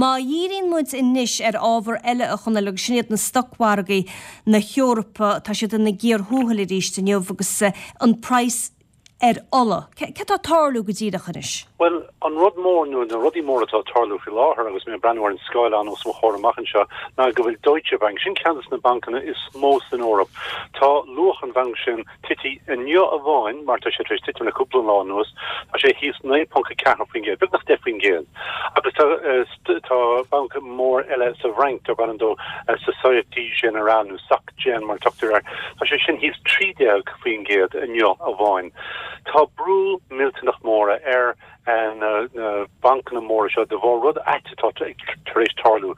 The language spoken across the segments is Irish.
Má dhíríonn muid anois ar ábhar eile a Chonaill agus sin iad na stocmhargaí na hEorpa, tá siad ina gcíor thuathail arís inniu agus an praghas ar ola. Céard atá ag tarlú go díreach anois? Bhuel, an rud mór, nó na rudaí móra atá ag tarlú faoi láthair agus mé ag breathnú ar an scáileán os mo chomhair amach anseo, ná go bhfuil Deutsche Bank, sin ceann de na bancanna is mó san Eoraip, tá luach an bhainc sin tití inniu amháin, mar tá sé tar éis titim le cúpla lá anuas, tá sé thíos 9.4%, beagnach 10%. Agus tá, tá banc mór eile sa bhFrainc, darb ainm dó Société Générale, nó Soc Gen mar a tugtar air, tá sé sin thíos 13% inniu amháin. Tá brú millteanach mór ar na bancanna móra seo de bharr rud ait atá tar éis tarlú.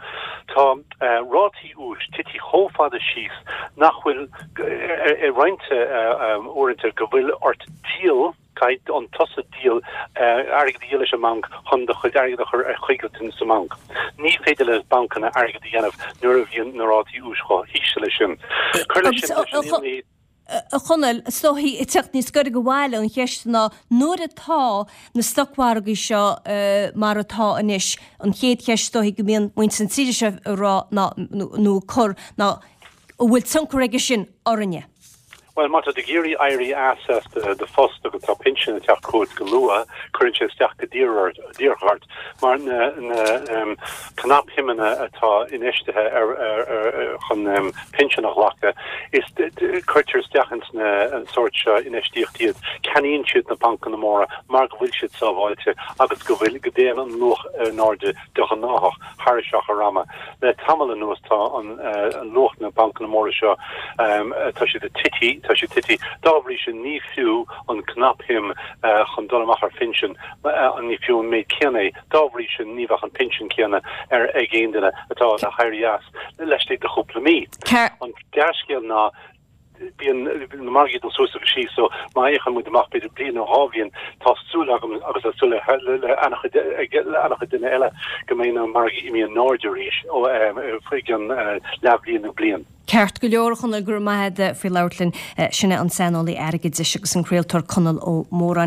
Tá rátaí úis tití chomh fada síos nach bhfuil, i roinnt uaireanta, go bhfuil ort díol, caithfidh tusa díol, airgead a dhíol leis an mbanc chun do chuid airgid a chur ar coigiltean sa mbanc. Ní féidir le bancanna airgead a dhéanamh nuair a bhíonn na rátaí úis chomh híseal leis sin. Cuir leis sin leis an imní. A Chonaill, is dóichí, ag teacht níos gaire go bhaile, an cheist ná nuair atá na stocmhargaí seo mar atá anois, an chéad cheist is dóichí go mbíonn muintir na tíre seo ag rá ná, nó ag cur, ná an bhfuil tionchar aige sin orainne? Bhuel, má tá tú ag iarraidh éirí as as do phost agus tá pinsean ag teacht chugat go luath, cuireann sé isteach go díreach ort mar na cnapshuimeanna atá infheistithe chun pinsean a ghlacadh, is cuirtear isteach ins na sórt seo infheistíocht iad. Ceannaíonn siad na bancanna móra mar go bhfuil siad sábháilte agus go bhfuil, go dtéann an luach in airde de ghnáthach thar achar ama. Le tamall anuas tá an luach na bancanna móra seo, tá siad ag tití, tá siad tití. Dá bhrí sin ní fiú an cnapshuim chun dul amach ar phinsean, ní fiú an méid céanna é. Dá bhrí sin ní bheadh an pinsean céanna ar ag aon duine atá le héirí as laistigh de chúpla mí. An dea-scéal ná Bíonn na margaí ag dul suas agus síos so má fhéachann muid amach b'fhéidir bliain nó dhá bhliain tá súil agam agus tá súil le an-chuid le an-chuid duine eile go mbeidh na margaí imithe in airde arís ó faoi gcionn leathbhliain nó bliain. Ceart go leor, a Chonaill, go raibh maith agat faoi labhairt linn. Sin é an saineolaí airgeadais agus an craoltóir Conall Ó Móráin.